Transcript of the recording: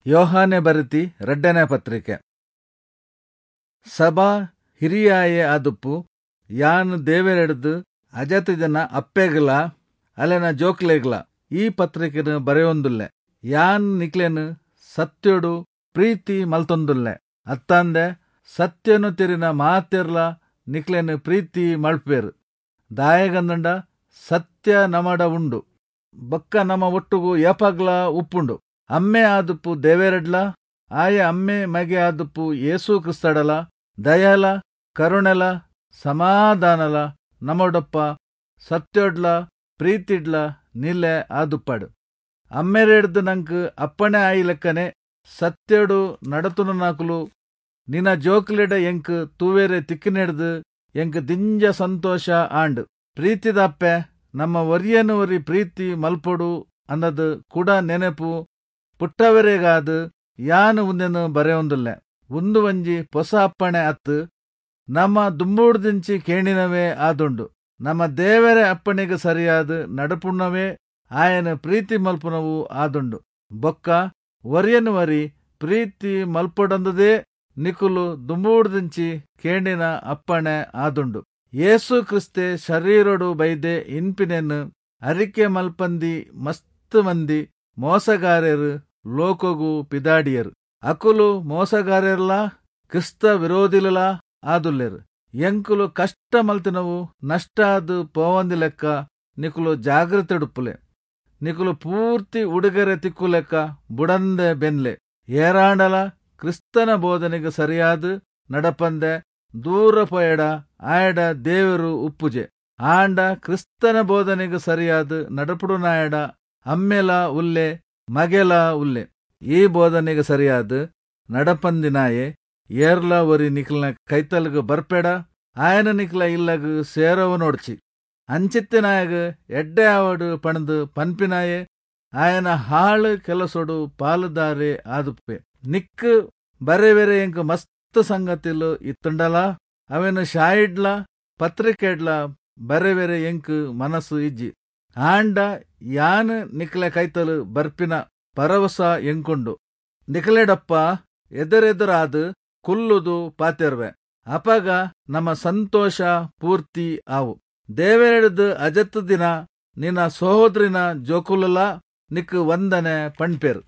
ಯೋಹಾನೆ ಬರೆತಿ ರಡ್ಡನೇ ಪತ್ರಿಕೆ. ಸಭಾ ಹಿರಿಯಾಯೆ ಆದುಪ್ಪು ಯಾನ್ ದೇವೆರೆಡ್ದ್ ಅಜತಿದಿನ ಅಪ್ಪೆಗ್ಲಾ ಅಲೆನ ಜೋಕ್ಲೆಗ್ಲಾ ಈ ಪತ್ರಿಕೆನ್ ಬರೆಯೊಂದುಲ್ಲೆ. ಯಾನ್ ನಿಕ್ಲೆನ್ ಸತ್ಯೊಡು ಪ್ರೀತಿ ಮಲ್ತೊಂದುಲ್ಲೆ ಅತ್ತಂದೆ ಸತ್ಯೊನು ತೆರಿನ ಮಾತೆರ್ಲಾ ನಿಕ್ಲೆನ್ ಪ್ರೀತಿ ಮಲ್ಪುವೆರ್. ದಾಯೆಗಂದ್ಂಡ ಸತ್ಯ ನಮಡ ಉಂಡು ಬೊಕ್ಕ ನಮ ಒಟ್ಟುಗು ಏಪಗ್ಲಾ ಉಪ್ಪುಂಡು. ಅಮ್ಮೆ ಆದುಪ್ಪು ದೇವೆರೆಡ್ಲಾ ಆಯ ಅಮ್ಮೆ ಮಗೆ ಆದುಪ್ಪು ಯೇಸು ಕ್ರಿಸ್ತಡಲಾ ದಯಲಾ ಕರುಣೆಲಾ ಸಮಾಧಾನಲಾ ನಮಡೊಪ್ಪ ಸತ್ಯೊಡ್ಲಾ ಪ್ರೀತಿಡ್ಲಾ ನಿಲೆ ಆದುಪ್ಪಡ್. ಅಮ್ಮೆರೆಡ್ದ್ ನಂಕ್ ಅಪ್ಪಣೆ ಆಯಿ ಲೆಕ್ಕನೆ ಸತ್ಯೊಡು ನಡತೊನುನಾಕುಲು ನಿನ ಜೋಕುಲೆಡ ಎಂಕ್ ತೂವೆರೆ ತಿಕ್ಕಿನೆಡ್ದ್ ಎಂಕ್ ದಿಂಜ ಸಂತೋಷ ಆಂಡ್. ಪ್ರೀತಿದ ಅಪ್ಪೆ, ನಮ ಒರಿಯನ್ ಒರಿ ಪ್ರೀತಿ ಮಲ್ಪೊಡು ಅಂದ್ದ್ ಕುಡ ನೆನೆಪು ಪುಟ್ಟಾವೆರೆಗಾದ್ ಯಾನ್ ಉಂದೆನ್ ಬರೆವೊಂದುಲ್ಲೆ. ಉಂದು ಒಂಜಿ ಪೊಸ ಅಪ್ಪಣೆ ಅತ್ತ್, ನಮ ದುಂಬುಡ್ದಿಂಚಿ ಕೇಂಡಿನವೇ ಆದುಂಡು. ನಮ ದೇವೆರೆ ಅಪ್ಪಣೆಗ್ ಸರಿಯಾದ್ ನಡಪುನವೇ ಆಯನ್ ಪ್ರೀತಿ ಮಲ್ಪುನವು ಆದುಂಡು. ಬೊಕ್ಕ ಒರಿಯನ್ ಒರಿ ಪ್ರೀತಿ ಮಲ್ಪೊಡಂದ್ದೇ ನಿಕುಲು ದುಂಬುಡ್ದಿಂಚಿ ಕೇಂಡಿನ ಅಪ್ಪಣೆ ಆದುಂಡು. ಯೇಸು ಕ್ರಿಸ್ತೆ ಶರೀರೊಡು ಬೈದೆ ಇನ್ಪಿನೆನ್ ಅರಿಕೆ ಮಲ್ಪಂದಿ ಮಸ್ತ್ ಮಂದಿ ಮೋಸಗಾರೆರ್ ಲೋಕೊಗು ಪಿದಾಡಿಯೆರ್. ಅಕುಲು ಮೋಸಗಾರೆರ್ಲಾ ಕ್ರಿಸ್ತ ವಿರೋಧಿಲುಲಾ ಆದುಲ್ಲೆರ್. ಎಂಕುಲು ಕಷ್ಟ ಮಲ್ತಿನವು ನಷ್ಟ ಆದ್ ಪೋವಂದಿಲೆಕ್ಕ ನಿಕುಲು ಜಾಗ್ರತೆಡುಪ್ಪುಲೆ. ನಿಕುಲು ಪೂರ್ತಿ ಉಡುಗೊರೆ ತಿಕ್ಕುಲೆಕ್ಕ ಬುಡಂದೆ ಬೆನ್ಲೆ. ಏರಾಂಡಲಾ ಕ್ರಿಸ್ತನ ಬೋಧನೆಗ್ ಸರಿಯಾದ್ ನಡಪಂದೆ ದೂರ ಪೋಯೆಡ ಆಯಡ ದೇವೆರ್ ಉಪ್ಪುಜೆ. ಆಂಡ ಕ್ರಿಸ್ತನ ಬೋಧನೆಗ್ ಸರಿಯಾದ್ ನಡಪುಡುನಾಯಡ ಅಮ್ಮೆಲಾ ಉಲ್ಲೆ ಮಗೆಲಾ ಉಲ್ಲೆ. ಈ ಬೋಧನೆಗ್ ಸರಿಯಾದ್ ನಡಪಂದಿನಾಯೆ ಏರ್ಲಾ ಒರಿ ನಿಕ್ಲೆನ ಕೈತಲ್ಗ್ ಬರ್ಪೆಡ ಆಯನ್ ನಿಕ್ಲೆ ಇಲ್ಲಗ್ ಸೇರಾವೊನೊಡ್ಚಿ. ಅಂಚಿತ್ತಿನಾಯಗ್ ಎಡ್ಡೆ ಆವಡ್ ಪಂಡ್ದ್ ಪನ್ಪಿನಾಯೆ ಆಯನ ಹಾಳ್ ಕೆಲಸೊಡು ಪಾಲ್ದಾರೆ ಆದುಪ್ಪೆ. ನಿಕ್ಕ್ ಬರೆವೆರೆ ಎಂಕ್ ಮಸ್ತ್ ಸಂಗತಿಲು ಇತ್ತ್ಂಡಲಾ ಅವೆನ್ ಶಾಯಿಡ್ಲಾ ಪತ್ರಿಕೆಡ್ಲಾ ಬರೆವೆರೆ ಎಂಕ್ ಮನಸ್ ಇಜ್ಜಿ. ಆಂಡ ಯಾನ್ ನಿಕ್ಲೆ ಕೈತಲ್ ಬರ್ಪಿನ ಭರವಸ ಎಂಕುಂಡು. ನಿಕ್ಲೆಡೊಪ್ಪ ಎದುರೆದುರಾದ್ ಕುಲ್ಲುದು ಪಾತೆರ್ವೆ. ಅಪಗ ನಮ ಸಂತೋಷ ಪೂರ್ತಿ ಆವು. ದೇವೆರೆಡ್ದ್ ಅಜತ್ದಿನ ನಿನ ಸಹೋದ್ರಿನ ಜೋಕುಲುಲಾ ನಿಕ್ಕ್ ವಂದನೆ ಪನ್ಪೆರ್.